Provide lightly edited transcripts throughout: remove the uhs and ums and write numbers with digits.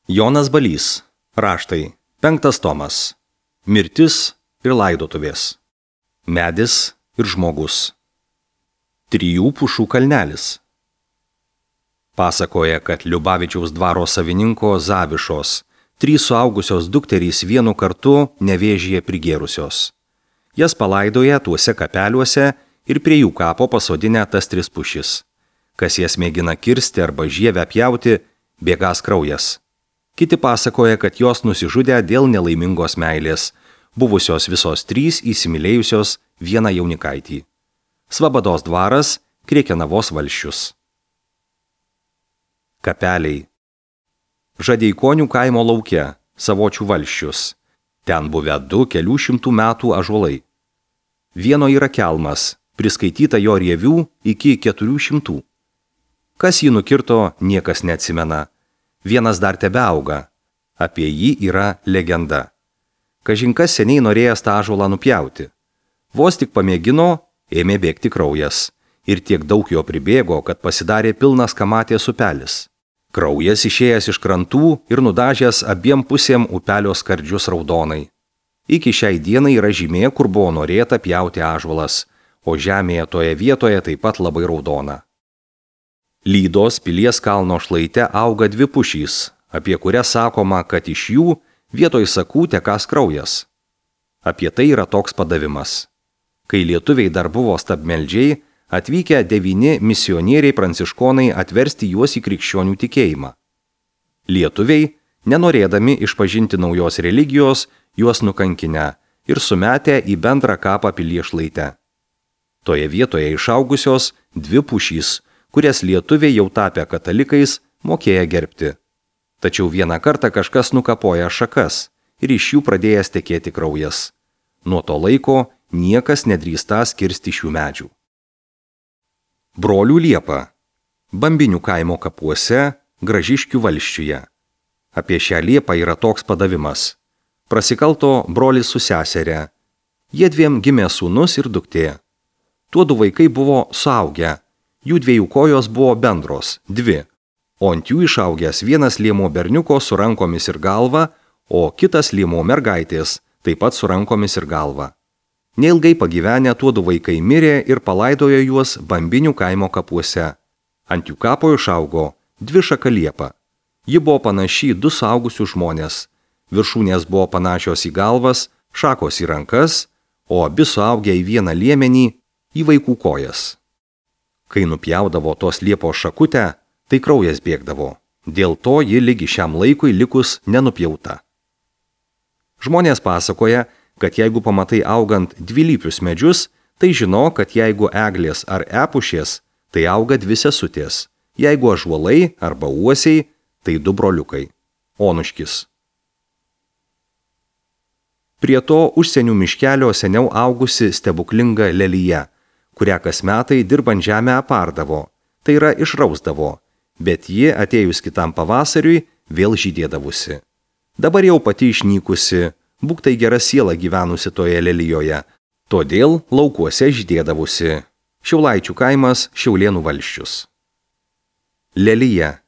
Jonas Balys. Raštai. 5 tomas. Mirtis ir laidotuvės. Medis ir žmogus. 3 pušų kalnelis. Pasakoja, kad Liubavičiaus dvaro savininko Zavišos 3 suaugusios dukterys vienu kartu nevėžyje prigėrusios. Jas palaidoja tuose kapeliuose ir prie jų kapo pasodinę tas 3 pušis. Kas jas mėgina kirsti arba žievę pjauti, bėgas kraujas. Kiti pasakoja, kad jos nusižudė dėl nelaimingos meilės, buvusios visos 3 įsimylėjusios vieną jaunikaitį. Svabados dvaras, Krėkenavos valsčius. Kapeliai. Žadeikonių kaimo lauke, Savočių valsčius. Ten buvę 2 kelių šimtų metų ąžuolai. Vieno yra kelmas, priskaityta jo rievių iki 400. Kas jį nukirto, niekas neatsimena. Vienas dar tebeauga. Apie jį yra legenda. Kažinkas seniai norėjęs tą ąžuolą nupjauti. Vos tik pamėgino, ėmė bėgti kraujas. Ir tiek daug jo pribėgo, kad pasidarė pilnas kamatės upelis. Kraujas išėjęs iš krantų ir nudažęs abiem pusėm upelio skardžius raudonai. Iki šiai dienai yra žymė, kur buvo norėta pjauti ąžuolas, o žemėje toje vietoje taip pat labai raudona. Lydos pilies kalno šlaite auga 2 pušys, apie kurias sakoma, kad iš jų vietoj sakų tekas kraujas. Apie tai yra toks padavimas. Kai lietuviai dar buvo stabmeldžiai, atvykę 9 misionieriai pranciškonai atversti juos į krikščionių tikėjimą. Lietuviai, nenorėdami išpažinti naujos religijos, juos nukankinę ir sumetę į bendrą kapą pilies šlaite. Toje vietoje išaugusios 2 pušys, kurias lietuviai jau tapę katalikais mokėję gerbti. Tačiau vieną kartą kažkas nukapoja šakas ir iš jų pradėjęs tekėti kraujas. Nuo to laiko niekas nedrįstąs kirsti šių medžių. Brolių liepa. Bambinių kaimo kapuose, Gražiškių valsčiuje. Apie šią liepą yra toks padavimas. Prasikalto brolis su seserė. Jie 2 gimė sūnus ir duktė. Tuodu vaikai buvo suaugę. Jų 2 kojos buvo bendros, 2, o ant jų išaugęs vienas liemo berniuko su rankomis ir galva, o kitas liemo mergaitės, taip pat su rankomis ir galva. Neilgai pagyvenę tuodu vaikai mirė ir palaidojo juos Bambinių kaimo kapuose. Ant jų kapo išaugo 2 šaka liepa. Ji buvo panaši į 2 suaugusius žmonės. Viršūnės buvo panašios į galvas, šakos į rankas, o abi suaugę į vieną liemenį į vaikų kojas. Kai nupjaudavo tos liepos šakutę, tai kraujas bėgdavo. Dėl to ji lygi šiam laikui likus nenupjauta. Žmonės pasakoja, kad jeigu pamatai augant dvilypius medžius, tai žino, kad jeigu eglės ar epušės, tai auga 2 sesutės. Jeigu ąžuolai arba uosiai, tai 2 broliukai. Onuškis. Prie to užsienių miškelio seniau augusi stebuklinga lelija, kurią kas metai dirbant žemę apardavo, tai yra išrausdavo, bet ji atėjus kitam pavasariui vėl žydėdavusi. Dabar jau pati išnykusi, būk tai gera siela gyvenusi toje lelijoje, todėl laukuose žydėdavusi. Šiaulaičių kaimas, Šiaulėnų valsčius. Lelija.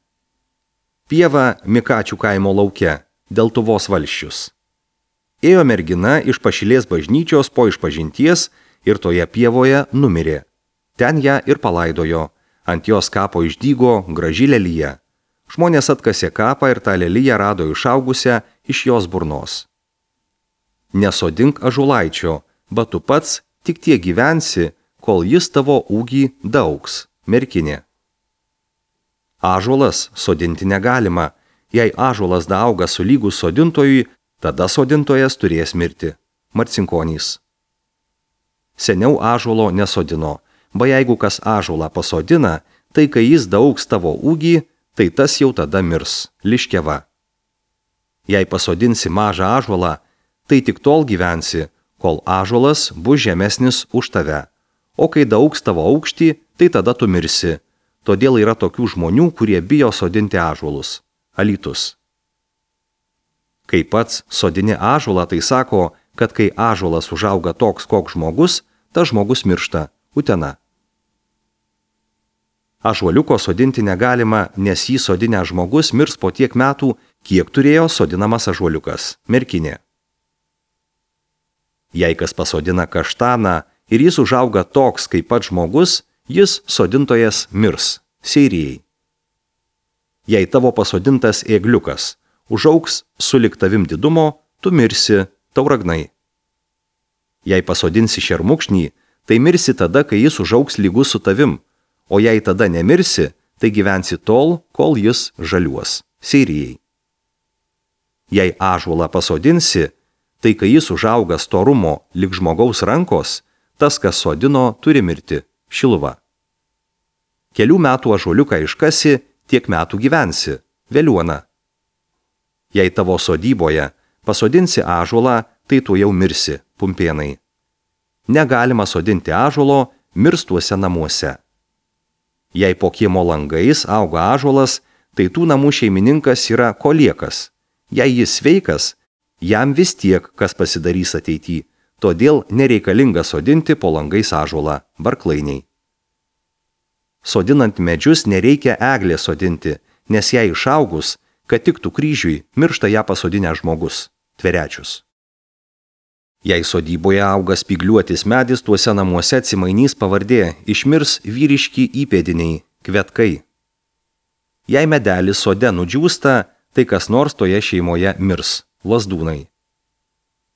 Pieva Mikačių kaimo lauke, Deltuvos valsčius. Ėjo mergina iš Pašilės bažnyčios po išpažinties ir toje pievoje numirė. Ten ją ir palaidojo. Ant jos kapo išdygo graži lelija. Žmonės atkasė kapą ir tą leliją rado išaugusią iš jos burnos. Nesodink ąžuolaičio, bet tu pats tik tiek gyvensi, kol jis tavo ūgį daaugs, merkinė. Ąžuolas sodinti negalima. Jei ąžuolas daauga sulygus sodintojui, tada sodintojas turės mirti. Marcinkonys. Seniau ąžuolo nesodino, ba jeigu kas ąžuolą pasodina, tai kai jis daaugs tavo ūgį, tai tas jau tada mirs. Liškiava. Jei pasodinsi mažą ąžuolą, tai tik tol gyvensi, kol ąžuolas bus žemesnis už tave. O kai daaugs tavo aukštį, tai tada tu mirsi. Todėl yra tokių žmonių, kurie bijo sodinti ąžuolus. Alytus. Kai pats sodini ąžuolą, tai sako, kad kai ąžuolas užauga toks, koks žmogus, tas žmogus miršta. Utena. Ąžuoliuko sodinti negalima, nes jį sodinę žmogus mirs po tiek metų, kiek turėjo sodinamas ąžuoliukas, merkinė. Jei kas pasodina kaštaną ir jis užauga toks kaip pats žmogus, jis sodintojas mirs, seirijai. Jei tavo pasodintas ėgliukas užaugs sulig tavim didumo, tu mirsi, tauragnai. Jei pasodinsi šermukšnį, tai mirsi tada, kai jis užaugs lygus su tavim, o jei tada nemirsi, tai gyvensi tol, kol jis žaliuos, seirijai. Jei ąžuolą pasodinsi, tai kai jis užauga storumo lig žmogaus rankos, tas, kas sodino, turi mirti, Šiluva. Kelių metų ąžuoliuką iškasi, tiek metų gyvensi, veliuona. Jei tavo sodyboje pasodinsi ąžuolą, tai tu jau mirsi, Pumpėnai. Negalima sodinti ąžuolo mirstuose namuose. Jei po kiemo langais auga ąžuolas, tai tų namų šeimininkas yra koliekas. Jei jis sveikas, jam vis tiek kas pasidarys ateity, todėl nereikalinga sodinti po langais ąžuolą, Barklainiai. Sodinant medžius nereikia eglės sodinti, nes jei išaugus, kad tiktų kryžiui, miršta ją pasodinęs žmogus, Tverečius. Jei sodyboje auga spygliuotis medis, tuose namuose atsimainys pavardė, išmirs vyriški įpėdiniai, Kvetkai. Jei medelis sode nudžiūsta, tai kas nors toje šeimoje mirs, Lazdūnai.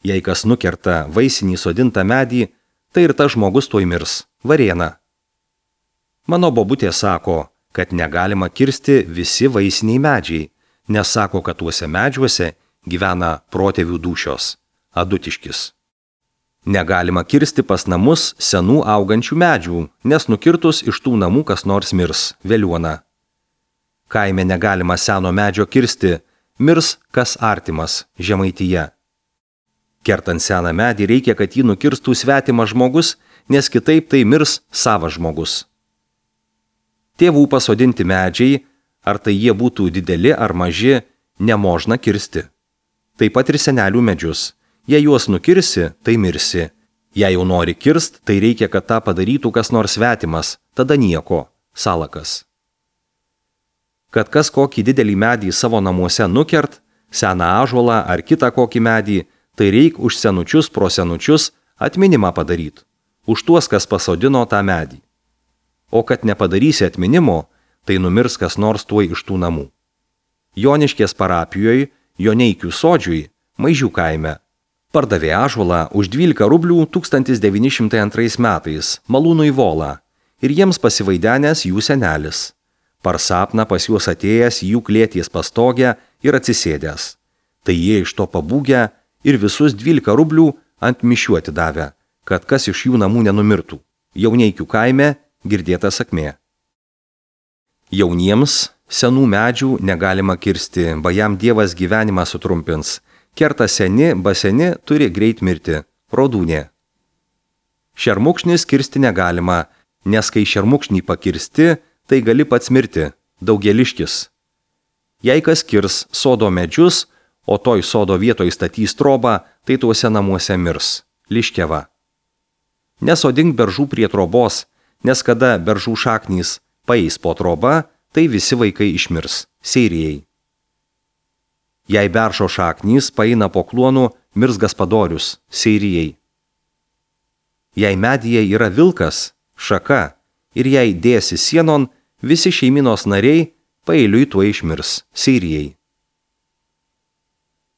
Jei kas nukerta vaisinį sodintą medį, tai ir tas žmogus tuoj mirs, Varėna. Mano bobutė sako, kad negalima kirsti visi vaisiniai medžiai, nes sako, kad tuose medžiuose gyvena protėvių dūšios, Adutiškis. Negalima kirsti pas namus senų augančių medžių, nes nukirtus iš tų namų kas nors mirs, Veliuona. Kaime negalima seno medžio kirsti, mirs kas artimas, Žemaitija. Kertant seną medį reikia, kad jį nukirstų svetimas žmogus, nes kitaip tai mirs savas žmogus. Tėvų pasodinti medžiai, ar tai jie būtų dideli ar maži, nemožna kirsti. Taip pat ir senelių medžius. Jei juos nukirsi, tai mirsi. Jei jau nori kirst, tai reikia, kad tą padarytų kas nors svetimas, tada nieko, Salakas. Kad kas kokį didelį medį savo namuose nukert, seną ąžuolą ar kitą kokį medį, tai reik už senučius pro senučius atminimą padaryti, už tuos, kas pasodino tą medį. O kad nepadarysi atminimo, tai numirs kas nors tuoj iš tų namų. Joniškės parapijoje, Joneikių sodžiui, Maižių kaime, pardavė ąžuolą už 12 rublių 1902 metais Malūnui Volą ir jiems pasivaidenęs jų senelis. Par sapną pas juos atėjęs jų klėties pastogę ir atsisėdęs. Tai jie iš to pabūgę ir visus 12 rublių ant mišių atidavę, kad kas iš jų namų nenumirtų. Jauneikių kaime girdėta sakmė. Jauniems senų medžių negalima kirsti, ba jam Dievas gyvenimą sutrumpins. Kerta seni, ba seni turi greit mirti, Rodūnė. Šermukšnis kirsti negalima, nes kai šermukšnį pakirsti, tai gali pats mirti, Daugeliškis. Jei kas kirs sodo medžius, o toj sodo vietoj statys trobą, tai tuose namuose mirs, Liškeva. Nesodink beržų prie trobos, nes kada beržų šaknys paeis po trobą, tai visi vaikai išmirs, Seirijai. Jei beržo šaknys paeina po kluonu, mirs Gaspadorius, Seirijai. Jei medyje yra vilkas, šaka, ir jei dėsi sienon, visi šeiminos nariai paeiliui tuo išmirs, Seirijai.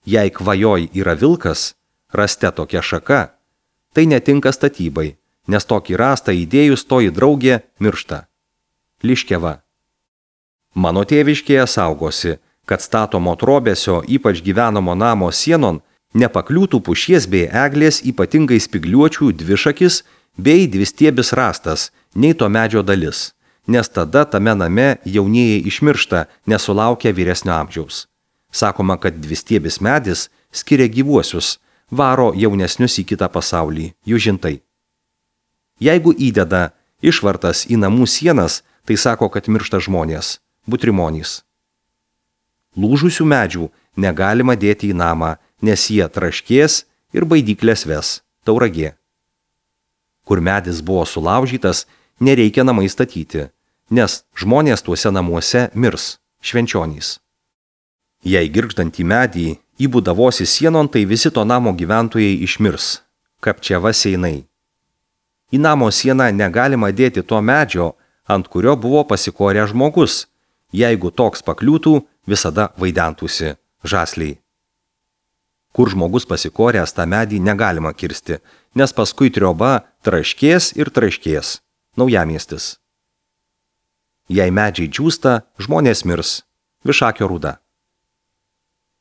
Jei kvajoj yra vilkas, raste tokia šaka, tai netinka statybai, nes tokį rastą įdėjus toji draugė miršta, Liškeva. Mano tėviškėje saugosi, kad statomo trobesio, ypač gyvenamo namo sienon, nepakliūtų pušies bei eglės ypatingai spygliuočių dvišakis bei dvistiebis rastas, nei to medžio dalis, nes tada tame name jaunieji išmiršta, nesulaukia vyresnio amžiaus. Sakoma, kad dvistiebis medis skiria gyvuosius, varo jaunesnius į kitą pasaulį, jų žintai. Jeigu įdeda išvartas į namų sienas, tai sako, kad miršta žmonės, butrimonys. Lūžusių medžių negalima dėti į namą, nes jie traškės ir baidyklės ves, Tauragė. Kur medis buvo sulaužytas, nereikia namai statyti, nes žmonės tuose namuose mirs, Švenčionys. Jei girgždantį medį įbūdavosi sienon, tai visi to namo gyventojai išmirs. Kapčiava seinai. Į namo sieną negalima dėti to medžio, ant kurio buvo pasikorę žmogus. Jeigu toks pakliūtų, visada vaidentųsi žasliai. Kur žmogus pasikoręs, tą medį negalima kirsti, nes paskui trioba traškės ir traškės. Naujamiestis. Jei medžiai džiūsta, žmonės mirs. Višakio Rūda.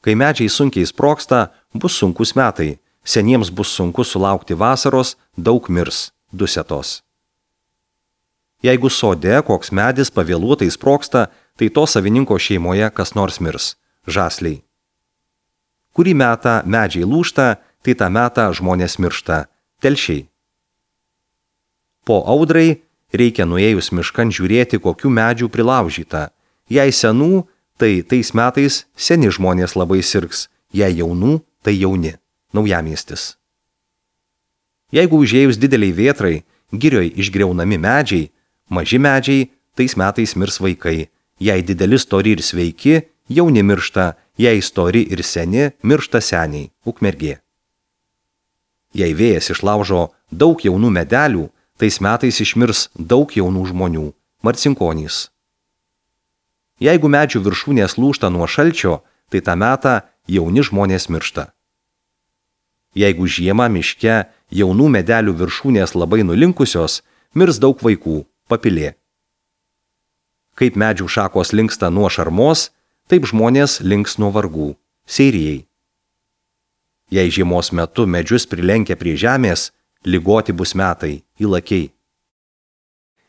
Kai medžiai sunkiai sprogsta, bus sunkus metai. Seniems bus sunku sulaukti vasaros, daug mirs. Dusetos. Jeigu sode koks medis pavėluotai sprogsta, tai to savininko šeimoje kas nors mirs. Žasliai. Kurį metą medžiai lūžta, tai tą metą žmonės miršta. Telšiai. Po audrai reikia nuėjus miškan žiūrėti, kokių medžių prilaužyta. Jei senų, tai tais metais seni žmonės labai sirgs. Jei jaunų, tai jauni. Naujamiestis. Jeigu užėjus dideliai vėtrai, girioj išgriaunami medžiai, maži medžiai, tais metais mirs vaikai. Jei dideli stori ir sveiki, jauni miršta, jei stori ir seni, miršta seniai. Ukmergė. Jei vėjas išlaužo daug jaunų medelių, tais metais išmirs daug jaunų žmonių. Marcinkonys. Jeigu medžių viršūnės lūžta nuo šalčio, tai tą metą jauni žmonės miršta. Jeigu žiemą miške jaunų medelių viršūnės labai nulinkusios, mirs daug vaikų. Papilė. Kaip medžių šakos linksta nuo šarmos, taip žmonės links nuo vargų. Seirijai. Jei žiemos metu medžius prilenkia prie žemės, ligoti bus metai. Įlakiai.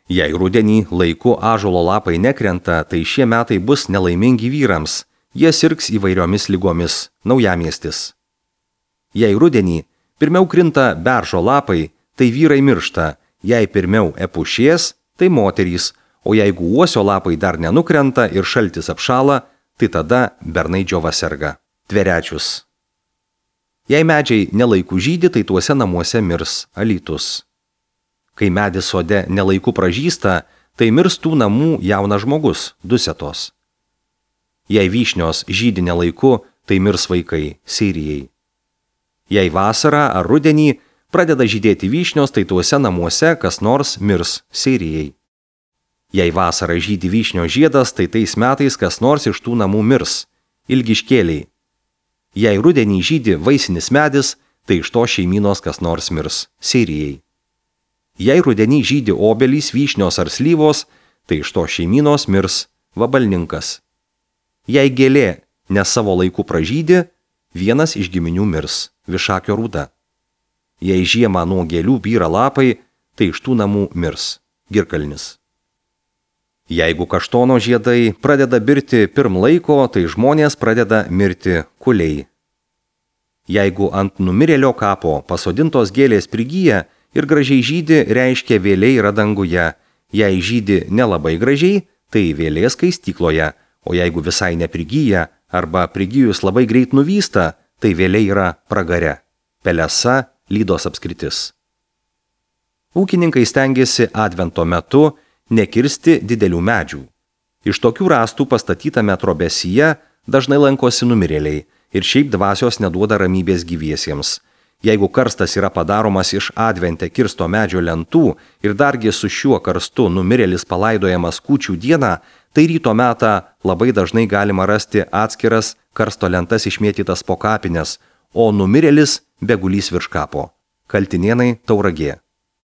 Jei rudenį laiku ąžuolo lapai nekrenta, tai šie metai bus nelaimingi vyrams. Jie sirgs įvairiomis ligomis. Naujamiestis. Jei rudenį pirmiau krinta beržo lapai, tai vyrai miršta. Jei pirmiau epušies, tai moterys, o jeigu uosio lapai dar nenukrenta ir šaltis apšala, tai tada bernai džiova serga. Tverečius. Jei medžiai nelaiku žydi, tai tuose namuose mirs. Alytus. Kai medis sode nelaiku pražysta, tai mirs tų namų jaunas žmogus. Dusetos. Jei vyšnios žydi nelaiku, tai mirs vaikai. Seirijai. Jei vasarą ar rudenį pradeda žydėti vyšnios, tai tuose namuose kas nors mirs. Seirijai. Jei vasarą žydi vyšnio žiedas, tai tais metais kas nors iš tų namų mirs. Ilgiškėliai. Jei rudenį žydi vaisinis medis, tai iš to šeimynos kas nors mirs. Seirijai. Jei rudenį žydi obelys, vyšnios ar slyvos, tai iš to šeimynos mirs. Vabalninkas. Jei gėlė ne savo laiku pražydi, vienas iš giminių mirs. Višakio Rūda. Jei žiemą nuo gėlių byra lapai, tai iš tų namų mirs. Girkalnis. Jeigu kaštono žiedai pradeda birti pirm laiko, tai žmonės pradeda mirti kuliai. Jeigu ant numirėlio kapo pasodintos gėlės prigyja ir gražiai žydi, reiškia vėliai yra danguje. Jei žydi nelabai gražiai, tai vėlės skaistykloje, o jeigu visai neprigyja arba prigijus labai greit nuvysta, tai vėliai yra pragare. Pelesa, Lydos apskritis. Ūkininkai stengiasi advento metu nekirsti didelių medžių. Iš tokių rąstų pastatytame trobesyje dažnai lankosi numirėliai ir šiaip dvasios neduoda ramybės gyviesiems. Jeigu karstas yra padaromas iš advente kirsto medžio lentų ir dargi su šiuo karstu numirėlis palaidojamas kūčių dieną, tai ryto metą labai dažnai galima rasti atskiras karsto lentas išmėtytas po kapines, o numirėlis begulys virš kapo. Kaltinėnai, Tauragė.